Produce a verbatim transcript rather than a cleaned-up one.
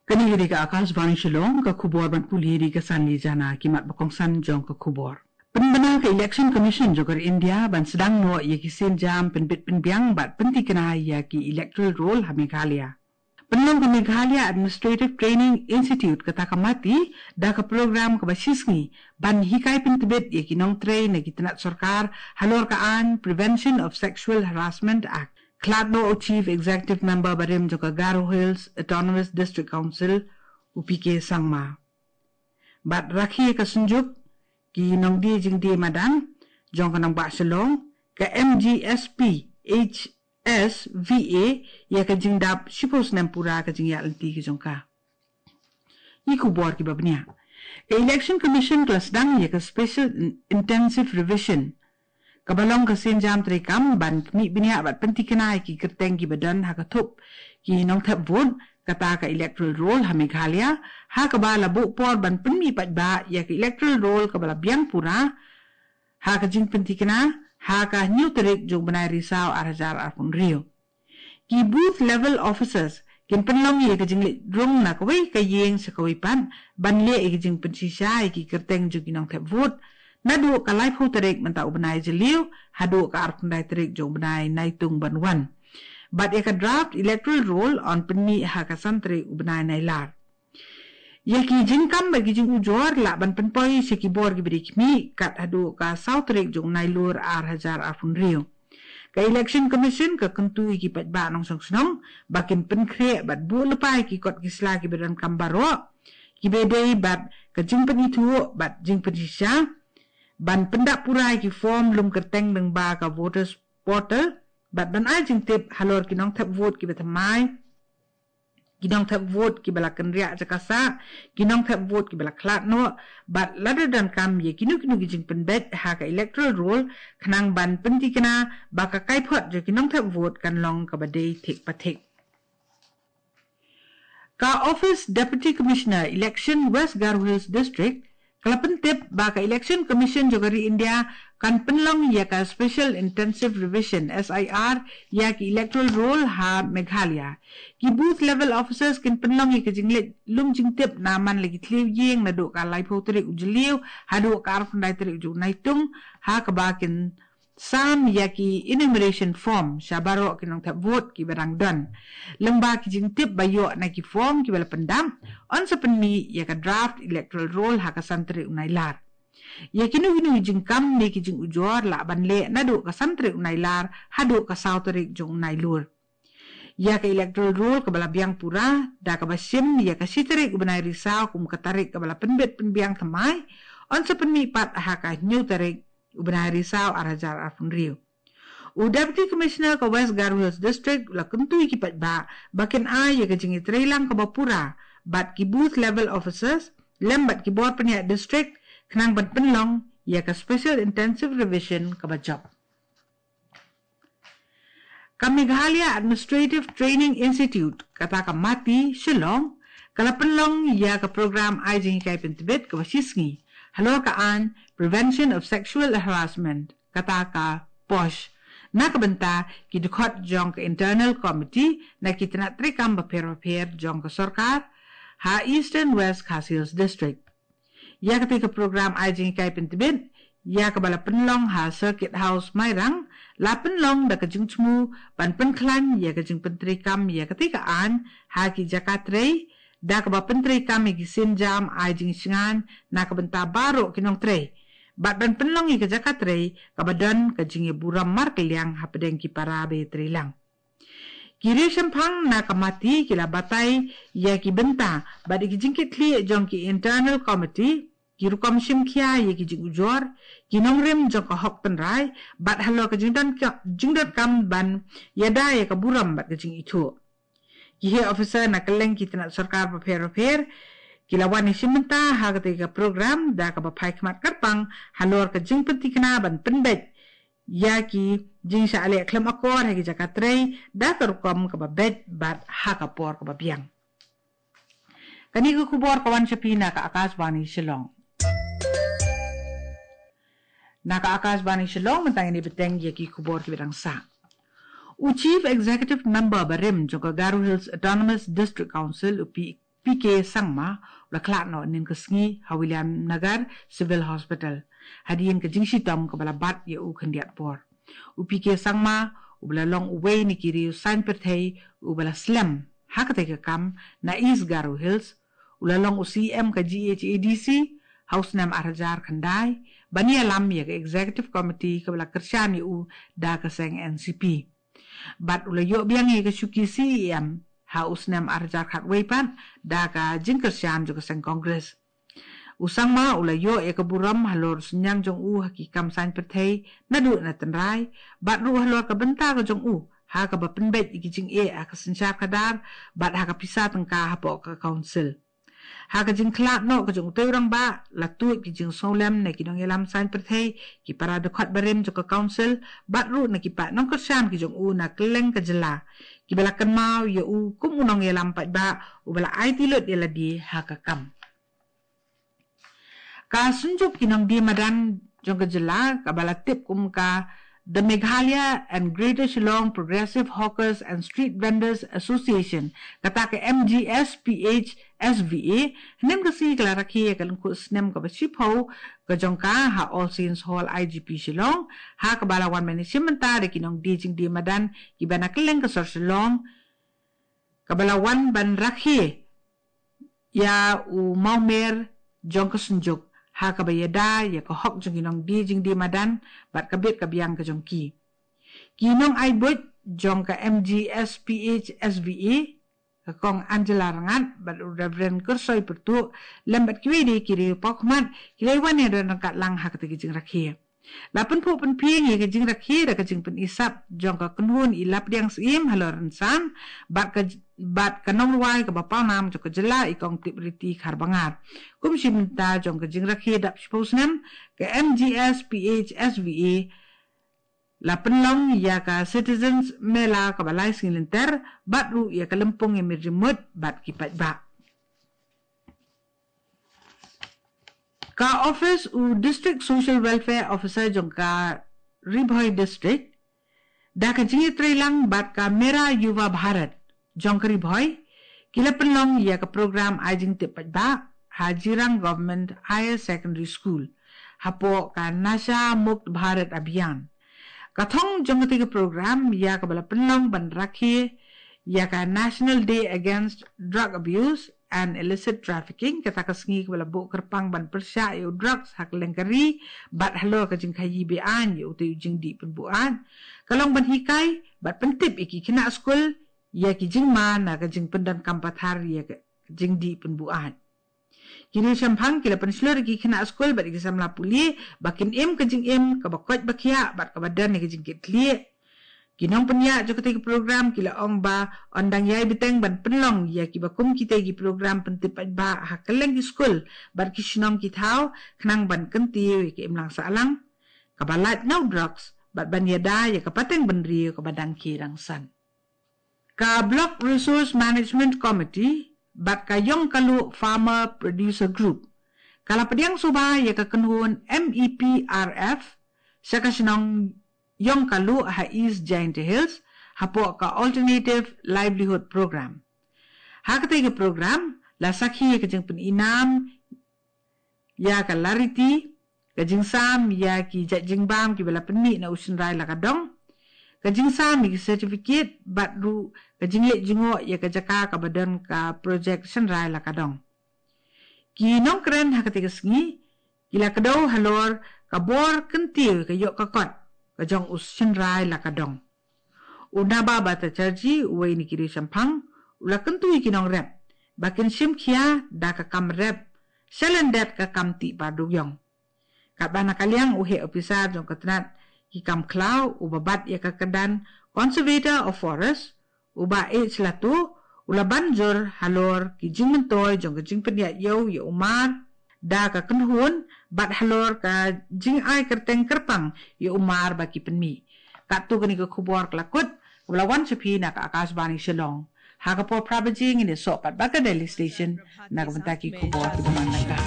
Kane ka dei ka Akashvani Shillong, ka khubor ban pule da ka Sanli Jana. Ki mat ba kongsan jong ka khubor. Pynbna ka Election Commission jong ka ri India ban sdang noh ïa ki sienjam pynbit pynbiang bad pyntikna ïa ki electoral roll ha Meghalaya. Pynlong ka Meghalaya Administrative Training Institute, kata ka MATI, da ka program kaba shisngi ban hikai pyntbit ïa ki nongtrei na ki tnat sorkar halor ka aiñ Prevention of Sexual Harassment Act. Khlad noh u Chief Executive Member barim jong ka Garo Hills Autonomous District Council, u P K Sangma. Bad rakhe ka Synjuk ki nongdie jingdie madan jong ka nongbah Shillong, ka M G S P H S V A, ïa ka jingdap shiphew snem pura ka jingïaid lynti ka jong ka. Ki khubor kiba bniah. Ka Election Commission ka la sdang ïa ka Special In- Intensive Revision, kaba long ka sienjam treikam ban pynmih bniah bad pyntikna ïa ki kyrteng kiba don ha ka thup ki nongthep vote, kata ka electoral roll ha Meghalaya, ha kaba la buh por ban pynmih paidbah ïa ka electoral roll kaba la biang pura ha ka jingpyntikna ha ka hynñiew tarik jong u bnai Risaw ar hajar arphew hynriew. Ki booth level officers kin pynlong ïa ka jingleit rung na kawei ka ïing sha kawei pat ban leh ïa ka jingpynshisha ïa ki kyrteng jong ki nongthep vote naduh ka laiphew tarik mynta u bnai Jylliew haduh ka arphew khyndai tarik jong u bnai Naitung ban wan. Bad ïa ka draft electoral roll yn pynmih ha ka san tarik u bnai Nailar. Ïa ki jingkam bad ki jingujor lah ban pynpoi sha ki bor kiba dei khmih kat haduh ka saw tarik jong u Nailur ar hajar arphew hynriew. Ka Election Commission ka kyntu ïa ki paidbah nongshong shnong ba kin pynkhreh bad buh lypa ïa ki kot ki sla kiba donkam baroh, kiba dei bad ka jingpynithuh bad jingpynshisha, ban pyndap pura ïa ki form lum kyrteng lyngba ka voters portal, bad ban ai jingtip halor ki nongthep vote kiba thymmai, ki nongthep vote kiba la kynriah jaka sah, ki nongthep vote kiba la khlad noh, bad lada donkam ïa kino kino ki jingpynbeit ha ka electoral roll khnang ban pyntikna ba ka kaiphod jong ki nongthep vote kan long kaba dei thik pa thik. Ka Office Deputy Commissioner Election West Garo Hills District ka la pyntip ba ka Election Commission jong ka ri India kan pynlong ïa ka Special Intensive Revision, S I R, ïa ki electoral roll ha Meghalaya. Ki booth level officers kin pynlong ïa ka jingleit lum jingtip na man la ki thliew ïing naduh ka laiphew tarik u Jylliew haduh ka arphew khyndai tarik jong u Naitung, ha kaba kin sam ïa ki enumeration form sha baroh ki nongthep vote kiba dang don. Lyngba ki jingtip ba ïoh na ki form kiba la pyndap, yn sa pynmih ïa ka draft electoral roll ha ka san tarik u Nailar. Ïa kino kino ki jingkam ne ki jingujor lah ban leh naduh ka san tarik u Nailar haduh ka saw tarik jong u Nailur. Ïa ka electoral roll kaba la biang pura, da kaba shim ïa ka shi tarik u bnai Risaw kum ka tarik kaba la pynbit pynbiang thymmai, yn sa pynmih pat ha ka hynñiew tarik u bnai Risaw ar hajar arphew hynriew. U Deputy Commissioner ka West Garo Hills District u la kyntu ïa ki paidbah ba kin ai ïa ka jingïatreilang kaba pura bad ki booth level officers lem bad ki bor pynïaid district khnang ban pynlong ïa ka Special Intensive Revision kaba jop. Ka Meghalaya Administrative Training Institute, kata ka MATI, Shillong, ka la pynlong ïa ka program ai jinghikai pyntbit kaba shisngi halor ka aiñ Prevention of Sexual Harassment, kata ka POSH, na ka bynta ki dkhot jong ka Internal Committee na ki tnat treikam bapher bapher jong ka sorkar ha Eastern West Khasi Hills District. Ïa katei ka program ai jinghikai pyntbit ïa kaba la pynlong ha Circuit House Mairang, la pynlong da ka jingthmu ban pynkhlaiñ ïa ka jingpyntreikam ïa katei ka aiñ ha ki jaka trei, da kaba pyntreikam ïa ki sienjam ai jingsngewbha na ka bynta baroh ki nongtrei, bad ban pynlong ïa ka jaka trei kaba don ka jingïaburom markylliang hapdeng ki para ba ïatreilang. Ki riewshemphang na ka MATI ki la batai ïa ki bynta bad ïa ki jingkitkhlieh jong ki Internal Committee, ki rukom shimkhia ïa ki jingujor, ki nongrim jong ka hok tynrai, bad halor ka jingdon ka, jingdonkam ban ïada ïa ka burom bad ka jingithuh. Ki heh officer na kylleng ki tnat sorkar bapher bapher ki la wan ïashim bynta ha katei ka program da kaba phai khmat kyrpang halor ka jingpyntikna ban pynbeit ïa ki jingshah leh khlem akor ha ki jaka trei da ka rukom kaba beit bad ha ka por kaba biang. Kane ka khubor ka wan sha phi na ka Akashvani Shillong. Na ka Akashvani Shillong mynta ngin ïa bteng ïa ki khubor kiba dang sah. U Chief Executive Member barim jong ka Garo Hills Autonomous District Council, u P P K Sangma u la khlad noh hynnin ka sngi ha Williamnagar Civil Hospital hadien ka jingshitom kaba la bat ïa u khyndiat por. U P K Sangma uba la long uwei na ki riew saiñ pyrthei uba la slem ha katei ka kam na East Garo Hills, u la long u C E M ka G H A D C ha u snem ar hajar khyndai, ban ïalam ïa ka Executive Committee kaba la kyrshan ïa u da ka seng N C P. Bad u la ïoh biang ïa ka shuki C E M ha u snem ar hajar khatwei pat da ka jingkyrshan jong ka seng Congress. U Sangma u la ïoh ïa ka burom halor synñiang jong u ha ki kam saiñ pyrthei naduh na tynrai, bad ruh halor ka bynta ka jong u ha kaba pynbeit ïa ki jingeh ha ka synshar khadar bad ha ka pisa tyngka hapoh ka council. Ha ka jingkhlad noh ka jong utei u rangbah, la tuid ki jingsngewlem na ki nongïalam saiñ pyrthei, ki para dkhot barim jong ka council, bad ruh na ki paid nongkyrshan ki jong u na kylleng ka jylla, kiba la kynmaw ïa u kum u nongïalam paidbah uba la aiti lut ïa lade ha ka kam. Ka Synjuk ki Nongdie Madan jong ka jylla, kaba la tip kum ka The Meghalaya and Greater Shillong Progressive Hawkers and Street Vendors Association, kata ka M G S P H S V A, hynnin ka sngi ka la rakhe ïa ka lyngkhuh snem kaba shiphew ka jong ka ha All Saints Hall, I G P Shillong, ha kaba la wan ban ïashim bynta da ki nongdie jingdie madan kiba na kylleng ka sor Shillong, kaba la wan ban rakhe ïa u mawmer jong ka Synjuk ha kaba ïada ïa ka hok jong ki nongdie jingdie madan bad ka bit ka biang ka jong ki. Ki nongai buit jong ka M G S P H S V A, ka Kong Angela Rngat bad u Reverend Kyrsoi Pyrtuh, lem bad kiwei de ki riew paw khmat, ki la wan ïadon ryngkat lang ha katei ka jingrakhe. La pynphuh pynphieng ïa ka jingrakhe da ka jingpyni sap jong ka kynhun i Lapdiang Syiem halor Rynsan bad ka, bad ka nongrwai kaba pawnam jong ka jylla, i Kong Tipriti Kharbangar. Kum shi bynta jong ka jingrakhe dap shiphew snem, ka M G S P H S V A la pynlong ïa ka Citizens Mela kaba lai sngi lynter, bad ruh ïa ka lympung ïa mih jingmut bad ki paidbah. Ka office u District Social Welfare Officer jong ka Ri Bhoi District, da ka jingïatreilang bad ka Mera Yuva Bharat jong ka Ri Bhoi, ki la pynlong ïa ka program ai jingtip paidbah ha Jirang Government Higher Secondary School, hapoh ka Nasha Mukt Bharat Abhiyan. Ka thong jong katei ka program ïa kaba la pynlong ban rakhe ïa ka National Day Against Drug Abuse and Illicit Trafficking, kata ka sngi kaba la buh kyrpang ban pyrshah ïa u drugs ha kylleng ka ri bad halor ka jingkhaïi be-aiñ ïa utei u jingdih pynbuaid. Ka long ban hikai bad pyntip ïa ki khynnah skul ïa ki jingma na ka jingpyndonkam pathar ïa ka jingdih pynbuaid. Ki riew shemphang ki la pynshlur ïa ki khynnah skul bad ïa ki samla pule ba kin im ka jingim kaba koit ba khiah bad kaba don ïa ka jingkitkhlieh. Ki nongpynïaid jong katei ka program ki la ong ba yn dang ïai bteng ban pynlong ïa kiba kum kitei ki program pyntip paidbah ha kylleng ki skul bad ki shnong ki thaw, khnang ban kyntiew ïa ka imlang sahlang kaba lait na u drugs bad ban ïada ïa ka pateng bynriew kaba dang khie dang san. Ka Block Resource Management Committee bad ka Yongkalu Farmer Producer Group, ka la pdiang suba ïa ka kynhun M E P R F sha ka shnong Yongkalu ha East Jaintia Hills, hapoh ka Alternative Livelihood Program. Ha katei ka program, la sakhi ïa ka jingpyni nam ïa ka lariti, ka jingsam ïa ki jait jingbam kiba la pynmih na u shynrai la ka dong, ka jingsam ïa ki certificate bad ruh ka jingleit jngoh ïa ka jaka kaba don ka project shynrai la ka dong. Ki nongkren ha katei ka sngi ki la kdew halor ka bor kyntiew ka ïoh ka kot ka jong u shynrai la ka dong. U Naba Bhattacharjee, uwei na ki riew shemphang, u la kyntu ïa ki nongrep ba kin shim khia da ka kam rep shalyndet ka kam tih parduh ïong. Katba na ka liang u heh ophisar jong ka tnat ki kam khlaw uba bat ïa ka kyrdan Conservator of Forest, u Bah H Latu, u la ban jur halor ki jingmyntoi jong ka jingpynïaid ïew ïa u mar da ka kynhun bad halor ka jingai kyrteng kyrpang ïa u mar ba ki pynmih. Katto kane ka khubor ka la kut, kaba la wan sha phi na ka Akashvani Shillong. Ha ka por phra baje ngin ïasoh pat bad ka Delhi Station na ka bynta ki khubor kiba man la ka.